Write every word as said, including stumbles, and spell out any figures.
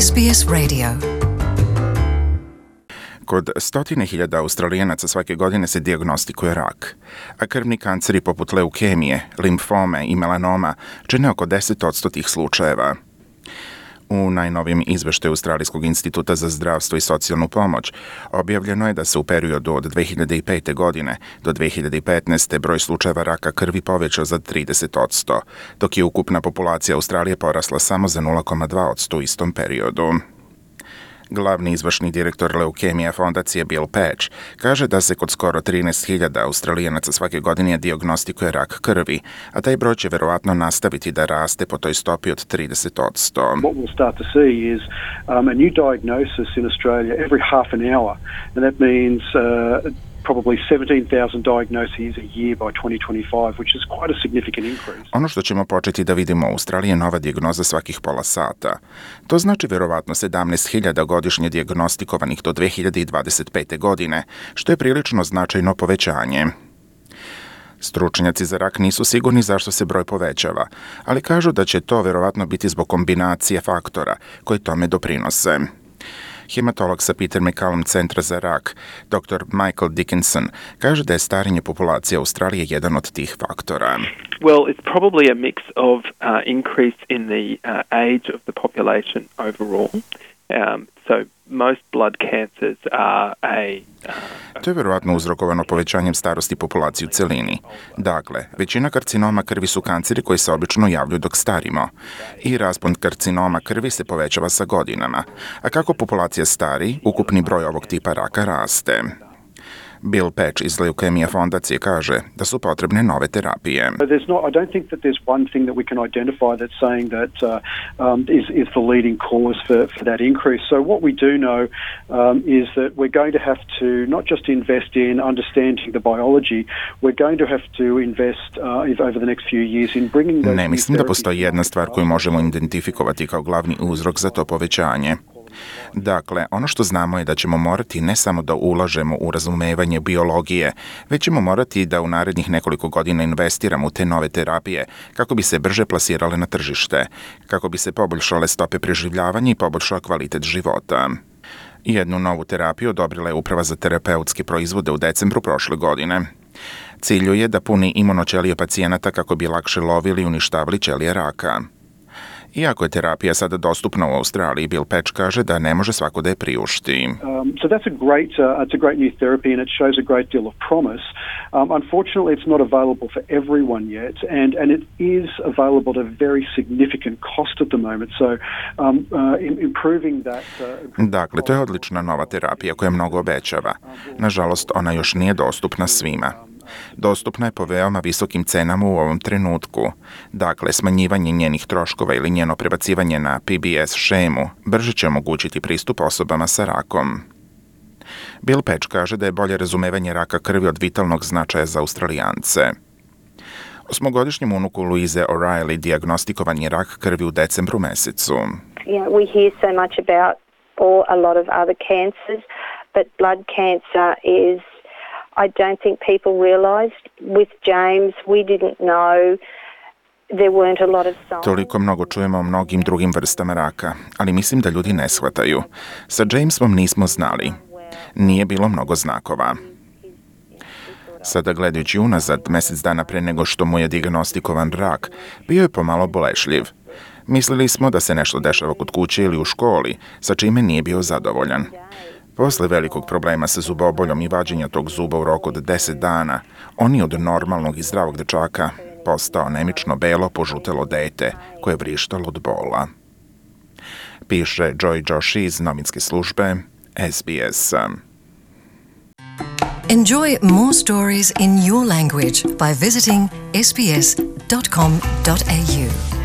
S B S Radio. Kod stotine hiljada Australijanaca svake godine se dijagnostikuje rak, a krvni kanceri poput leukemije, limfome i melanoma čine oko deset posto tih slučajeva. U najnovijem izveštaju Australijskog instituta za zdravstvo i socijalnu pomoć objavljeno je da se u periodu od dve hiljade pete. godine do dve hiljade petnaeste. broj slučajeva raka krvi povećao za trideset posto, dok je ukupna populacija Australije porasla samo za nula zarez dva posto u istom periodu. Glavni izvršni direktor leukemija fondacije Bill Patch kaže da se kod skoro trinaest hiljada Australijanaca svake godine dijagnostikuje rak krvi, a taj broj će verovatno nastaviti da raste po toj stopi od trideset posto. What we'll start to see is um, a new diagnosis in Australia every half an hour, and that means uh, probably seventeen thousand diagnoses a year by twenty twenty-five, which is quite a significant increase. Ono što ćemo početi da vidimo u Australiji je nova dijagnoza svakih pola sata. To znači verovatno sedamnaest hiljada godišnje dijagnostikovanih do dve hiljade dvadeset pete. godine, što je prilično značajno povećanje. Stručnjaci za rak nisu sigurni zašto se broj povećava, ali kažu da će to verovatno biti zbog kombinacije faktora koji tome doprinose. Hematolog sa Peter MacCallum centra za rak, doktor Michael Dickinson, kaže da je starenje populacije Australije jedan od tih faktora. Well, it's probably a mix of uh, increase in the uh, age of the population overall. Um, so most blood cancers are a... Uh, to je verovatno uzrokovano povećanjem starosti populacije u celini. Dakle, većina karcinoma krvi su kanceri koji se obično javljaju dok starimo. I raspon karcinoma krvi se povećava sa godinama. A kako populacija stari, ukupni broj ovog tipa raka raste. Bill Patch iz Leukemija fondacije kaže da su potrebne nove terapije. There's not, I don't think that there's one thing that we can identify that's saying that uh, um, is, is the leading cause for, for that increase. So what we do know um, is that we're going to have to not just invest in understanding the biology, we're going to have to invest uh, over the next few years in bringing those. Ne mislim da postoji jedna stvar koju možemo identifikovati kao glavni uzrok za to povećanje. Dakle, ono što znamo je da ćemo morati ne samo da ulažemo u razumevanje biologije, već ćemo morati da u narednih nekoliko godina investiramo u te nove terapije kako bi se brže plasirale na tržište, kako bi se poboljšale stope preživljavanja i poboljšao kvalitet života. Jednu novu terapiju odobrila je Uprava za terapeutske proizvode u decembru prošle godine. Cilj je da puni imunoćelije pacijenata kako bi lakše lovili i uništavali ćelije raka. Iako je terapija sada dostupna u Australiji, Bill Patch kaže da ne može svako da je priušti. Um, so that's a great, uh, it's a great new therapy and it shows a great deal of promise. Um, unfortunately, it's not available for everyone yet, and, and it is available at a very significant cost at the moment. So um, uh, improving that... Uh, dakle, to je odlična nova terapija koja mnogo obećava. Nažalost, ona još nije dostupna svima. Dostupna je po veoma visokim cenama u ovom trenutku. Dakle, smanjivanje njenih troškova ili njeno prebacivanje na P B S šemu brže će omogućiti pristup osobama sa rakom. Bill Patch kaže da je bolje razumevanje raka krvi od vitalnog značaja za Australijance. Osmogodišnjem unuku Louise O'Reilly dijagnostikovan je rak krvi u decembru mesecu. You know, we hear so much about all, a lot of other cancers, but blood cancer is, I don't think people realised. With James, we didn't know. There weren't a lot of signs. Toliko mnogo čujemo o mnogim drugim vrstama raka, ali mislim da ljudi ne shvataju. Sa Jamesom nismo znali. Nije bilo mnogo znakova. Sada gledajući unazad, mjesec dana pre nego što mu je dijagnostikovan rak, bio je pomalo bolešljiv. Mislili smo da se nešto dešava kod kuće ili u školi, sa čime nije bio zadovoljan. Posle velikog problema sa zuboboljom i vađenja tog zuba u roku od deset dana, on je od normalnog i zdravog dečaka postao anemično belo požutelo dete koje je vrištalo od bola. Piše Joy Joshi iz novinske službe S B S. Enjoy more stories in your language by visiting s b s dot com dot a u.